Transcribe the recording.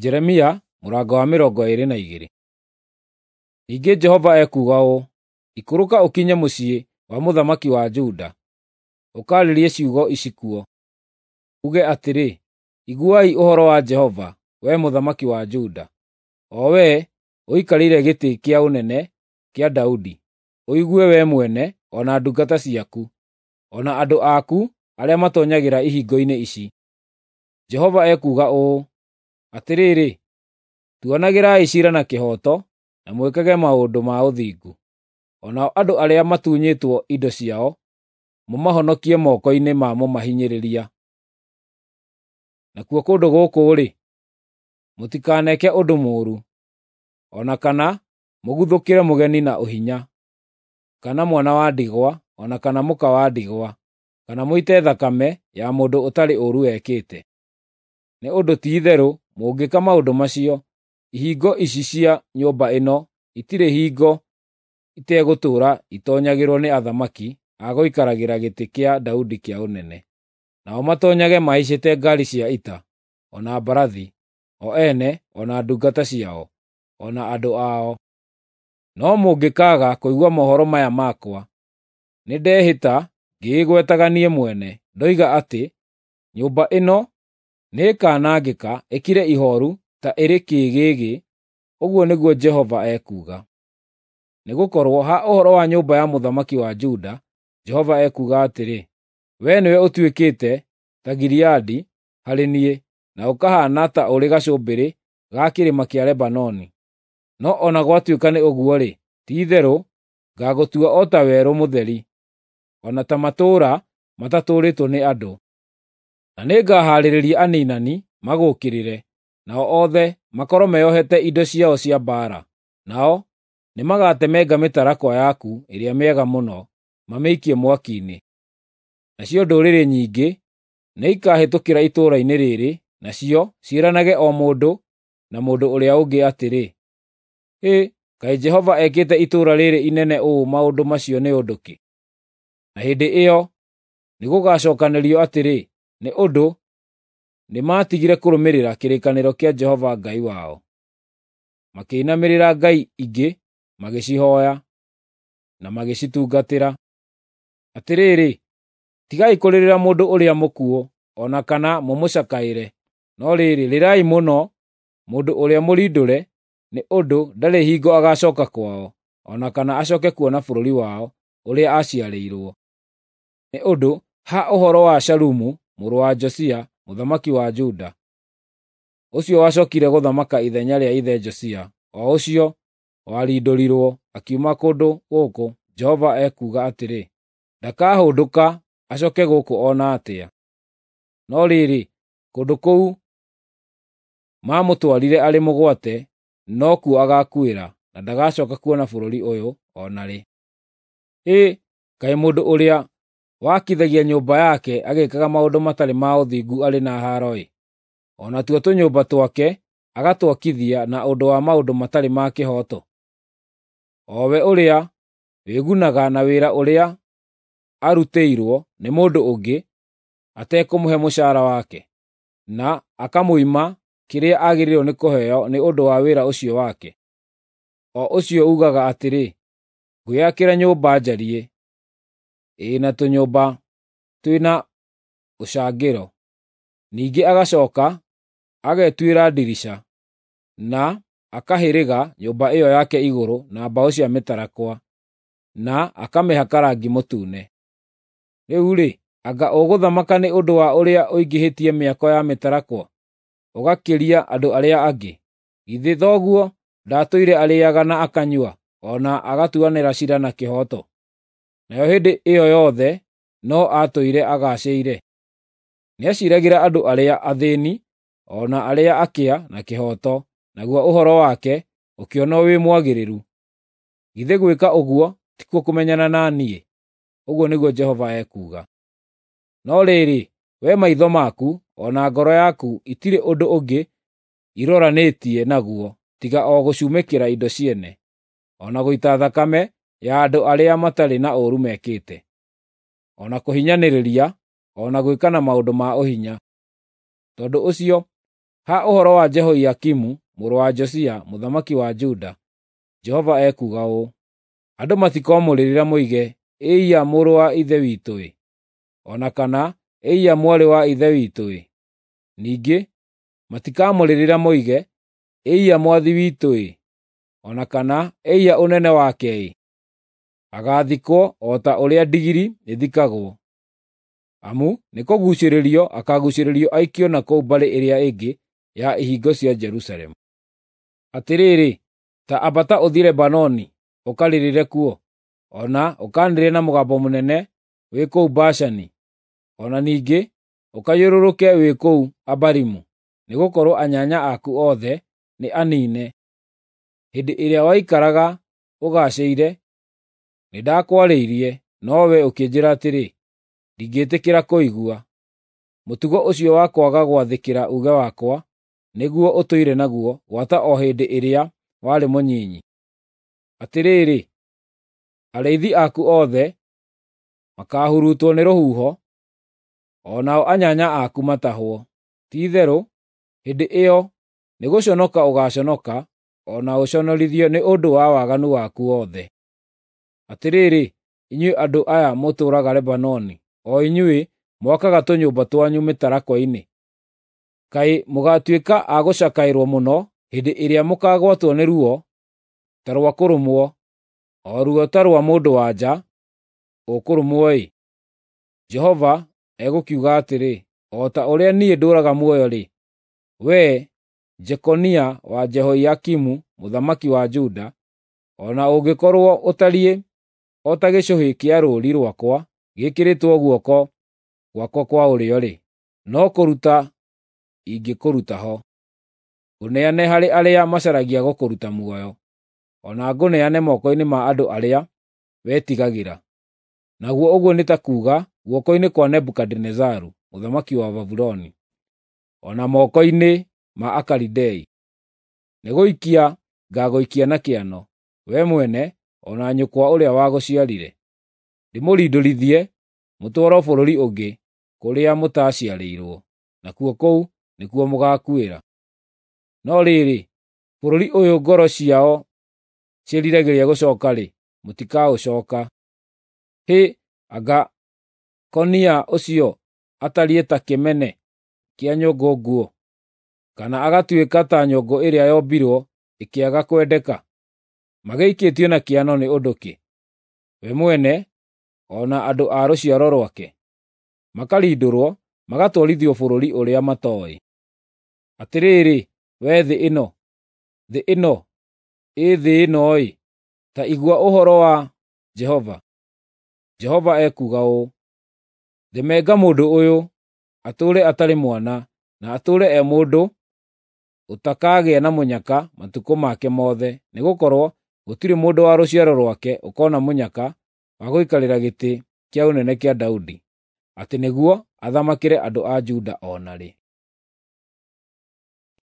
Jeremia mũrango wa 22. Ningĩ Jehova ekuuga ũũ: Ikũrũka ũkinye mũciĩ wa mũthamaki wa Juda, ũkaarĩrie ciugo ici kuo. Uuge atĩrĩ, ‘Iguai ũhoro wa Jehova, wee mũthamaki wa Juda, o wee ũikarĩire gĩtĩ kĩa ũnene kĩa Daudi, ũigue wee mwene, o na ndungata ciaku, o na andũ aku arĩa matoonyagĩra ihingo-inĩ ici. Jehova ekuuga ũũ: Atĩrĩrĩ, tuanagĩrai ciira na kĩhooto na mwĩkage maũndũ ma ũthingu. O nao andũ arĩa matunyĩtwo indo ciao mũmahonokie moko-inĩ ma mũmahinyĩrĩria. Nakuo kũndũ gũkũ-rĩ, mũtikaneke ũndũ mũũru, o na kana mũguthũkĩre mũgeni na ũhinya, kana mwana wa ndigwa, o na kana mũka wa ndigwa, kana mũite thakame ya mũndũ ũtarĩ ũũru ekĩte. Nĩ ũndũ ti-itherũ mũngĩka maũndũ macio, ihingo ici cia nyũmba ĩno itirĩ hingo itegũtũũra itoonyagĩrwo nĩ athamaki a gũikaragĩra gĩtĩ kĩa Daudi kĩa ũnene. Nao matoonyage mahaicĩte ngaari cia ita, o na mbarathi, o ene, o na ndungata ciao, o na andũ ao. No mũngĩkaaga kũigua mohoro maya makwa, nĩndehĩta ngĩĩgwetaga niĩ mwene, ndoiga atĩ nyũmba ĩno nĩĩkanangĩka ĩkire ihooru ta ĩrĩ kĩĩgĩgĩ, ũguo nĩguo Jehova ekuuga. Nĩgũkorwo ha ũhoro wa nyũmba ya mũthamaki wa Juda, Jehova ekuuga atĩrĩ: Wee nĩwe ũtuĩkĩte ta Gileadi harĩ niĩ, na ũkahaana ta ũrĩ gacũmbĩrĩ ga kĩrĩma kĩa Lebanoni. No o na gwatuĩka nĩ ũguo-rĩ, ti-itherũ ngaagũtua o ta werũ mũtheri, o na ta matũũra matatũũrĩtwo nĩ andũ. Na nĩngahaarĩria aniinani magũũkĩrĩre, nao othe makorwo meeohete indo ciao cia mbaara. Nao nĩmagatemenga mĩtarakwa yaku ĩrĩa mĩega mũno, mamĩikie mwaki-inĩ. Nacio ndũrĩrĩ nyingĩ nĩikahĩtũkĩra itũũra-inĩ rĩrĩ, nacio ciĩranage o mũndũ na mũndũ ũrĩa ũngĩ atĩrĩ, ‘Hĩ, kaĩ Jehova ekĩte itũũra rĩrĩ inene ũũ maũndũ macio nĩ ũndũ kĩ?’ Na hĩndĩ ĩyo nĩgũgacookanĩrio atĩrĩ, ‘Nĩ ũndũ nĩmatigire kũrũmĩrĩra kĩrĩkanĩro kĩa Jehova Ngai wao, makĩinamĩrĩra ngai ingĩ magĩcihooya, na magĩcitungatĩra.’ Atĩrĩrĩ, tigai kũrĩrĩra mũndũ ũrĩa mũkuũ, o na kana mũmũcakaĩre, no rĩrĩ, rĩrai mũno mũndũ ũrĩa mũrindũre, nĩ ũndũ ndarĩ hingo agacooka kwao, o na kana acooke kuona bũrũri wao ũrĩa aaciarĩirwo. Nĩ ũndũ ha ũhoro wa Shalumu mũrũ wa Josia, mũthamaki wa Juda, ũcio wacookire gũthamaka ithenya rĩa ithe Josia, o ũcio warindũrirwo akiuma kũndũ gũkũ, Jehova ekuuga atĩrĩ: Ndakahũndũka acooke gũkũ o na atĩa. No rĩrĩ, kũndũ kũu maamũtwarire arĩ mũgwate nokuo agaakuĩra, na ndagacooka kuona bũrũri ũyũ o na rĩ. Hĩ, kaĩ mũndũ ũrĩa wakithagia nyũmba yake agĩĩkaga maũndũ matarĩ ma ũthingu arĩ na haaro-ĩ! O natuo tũnyũmba twake agatwakithia na ũndũ wa maũndũ matarĩ ma kĩhooto. O we ũrĩa wĩgunaga na wĩra ũrĩa arutĩirwo nĩ mũndũ ũngĩ atekũmũhe mũcaara wake, na akamũima kĩrĩa agĩrĩirwo nĩ kũheo nĩ ũndũ wa wĩra ũcio wake. O ũcio uugaga atĩrĩ, ‘Ngwĩakĩra nyũmba njariĩ, ĩĩ na tũnyũmba twĩna ũcangĩro.’ Ningĩ agacooka agetuĩra ndirica, na akahĩrĩga nyũmba ĩyo yake igũrũ na mbaũ cia mĩtarakwa, na akamĩhaka rangi mũtune. Rĩu-rĩ, anga ũgũthamaka nĩ ũndũ wa ũrĩa ũingĩhĩtie mĩako ya mĩtarakwa, ũgakĩria andũ arĩa angĩ? Githĩ thoguo ndaatũire arĩĩaga na akanyua, o na agatuanĩra ciira na kĩhooto? Nayo hĩndĩ ĩyo yothe no aatũire agaacĩire. Nĩaciiragĩra andũ arĩa athĩĩni o na arĩa akĩa na kĩhooto, naguo ũhoro wake ũkĩonwo wĩ mwagĩrĩru. Githĩ gwĩka ũguo tikuo kũmenyana na niĩ?” Ũguo nĩguo Jehova ekuuga. No rĩrĩ, wee maitho maku o na ngoro yaku itirĩ ũndũ ũngĩ iroranĩtie naguo tiga o gũcumĩkĩra indo ciene, o na gũita thakame ya andũ arĩa matarĩ na ũũru mekĩte, o na kũhinyanĩrĩria, o na gwĩkana maũndũ ma ũhinya. Tondũ ũcio Ha ũhoro wa Jehoiakimu mũrũ wa Josia mũthamaki wa Juda, Jehova ekuuga ũũ: Andũ matikomũrĩrĩra moige, ‘Ĩiya mũrũ wa ithe witũ-ĩ!’ O na kana, ‘Ĩiya mwarĩ wa ithe witũ-ĩ!’ Ningĩ matikamũrĩrĩra moige, ‘Ĩiya mwathi witũ-ĩ!’ O na kana, ‘Ĩiya ũnene wake-ĩ!’ Agaathikwo o ta ũrĩa ndigiri ĩthikagwo, amu nĩkũguucĩrĩrio akaaguucĩrĩrio aikio na kũu mbarĩ ĩrĩa ĩngĩ ya ihingo cia Jerusalemu. Atĩrĩrĩ, ta ambata ũthiĩ Lebanoni ũkarĩrĩre kuo, o na ũkaanĩrĩre na mũgambo mũnene wĩ kũu Bashani, o na ningĩ ũkayũrũrũke wĩ kũu Abarimu, nĩgũkorwo anyanya aku othe nĩ aniine. Hĩndĩ ĩrĩa waikaraga ũgaacĩire, nĩndakwarĩirie, no wee ũkĩnjĩĩra atĩrĩ, ‘Ndingĩĩtĩkĩra kũigua.’ Mũtugo ũcio wa kwaga gwathĩkĩra uuge wakwa nĩguo ũtũire naguo gwata o hĩndĩ ĩrĩa warĩ mũnyinyi. Atĩrĩrĩ, arĩithi aku othe makaahurutwo nĩ rũhuho, o nao anyanya aku matahwo. Ti-itherũ, hĩndĩ ĩyo nĩgũconoka ũgaaconoka o na ũconorithio nĩ ũndũ wa waganu waku wothe. Atĩrĩrĩ, inyuĩ andũ aya mũtũũraga Lebanoni, o inyuĩ mwakaga tũnyũmba twanyu mĩtarakwa-inĩ, kaĩ mũgaatuĩka a gũcakaĩrwo mũno hĩndĩ ĩrĩa mũkaagwatwo nĩ ruo ta rwa kũrũmwo, o ruo ta rwa mũndũ-wa-nja ũkũrũmwo-ĩ! Jehova egũkiuga atĩrĩ, o ta ũrĩa niĩ ndũũraga muoyo-rĩ, wee Jekonia wa Jehoiakimu mũthamaki wa Juda, o na ũngĩkorwo ũtariĩ o ta gĩcũhĩ kĩa rũũri rwakwa gĩĩkĩrĩtwo guoko gwakwa kwa ũrĩo-rĩ, no kũruta ingĩkũruta ho, ngũneane harĩ arĩa macaragia gũkũruta muoyo, o na ngũneane moko-inĩ ma andũ arĩa wetigagĩra, naguo ũguo nĩ ta kuuga guoko-inĩ kwa Nebukadinezaru mũthamaki wa Babuloni, o na moko-inĩ ma Akalidei. Nĩgũikia ngaagũikia na kĩano, wee mwene o na nyũkwa ũrĩa wagũciarire, ndĩmũrindũrithie mũtwarwo bũrũri ũngĩ kũrĩa mũtaaciarĩirwo, nakuo kũu nĩkuo mũgaakuĩra. No rĩrĩ, bũrũri ũyũ ngoro ciao ciĩriragĩria gũcooka-rĩ, mũtikaũcooka. Hĩ, anga Konia ũcio atariĩ ta kĩmene kĩa nyũngũ nguũ, kana agatuĩka ta nyũngũ ĩrĩa yombirwo ĩkĩaga kwendeka? Magĩikĩtio na kĩano nĩ ũndũ kĩ, we mwene o na andũ a rũciaro rwake, makarindũrwo magatwarithio bũrũri ũrĩa matooĩ? Atĩrĩrĩ, wee thĩ ĩno, thĩ ĩno, ĩ thĩ ĩno-ĩ, ta igua ũhoro wa Jehova. Jehova ekuuga ũũ: Themenga mũndũ ũyũ, atũũre atarĩ mwana, na atũũre e mũndũ ũtakagĩa na mũnyaka matukũ make mothe, nĩgũkorwo gũtirĩ mũndũ wa rũciaro rwake ũkoona mũnyaka wa gũikarĩra gĩtĩ kĩa ũnene kĩa Daudi, atĩ nĩguo athamakĩre andũ a Juda o na rĩ.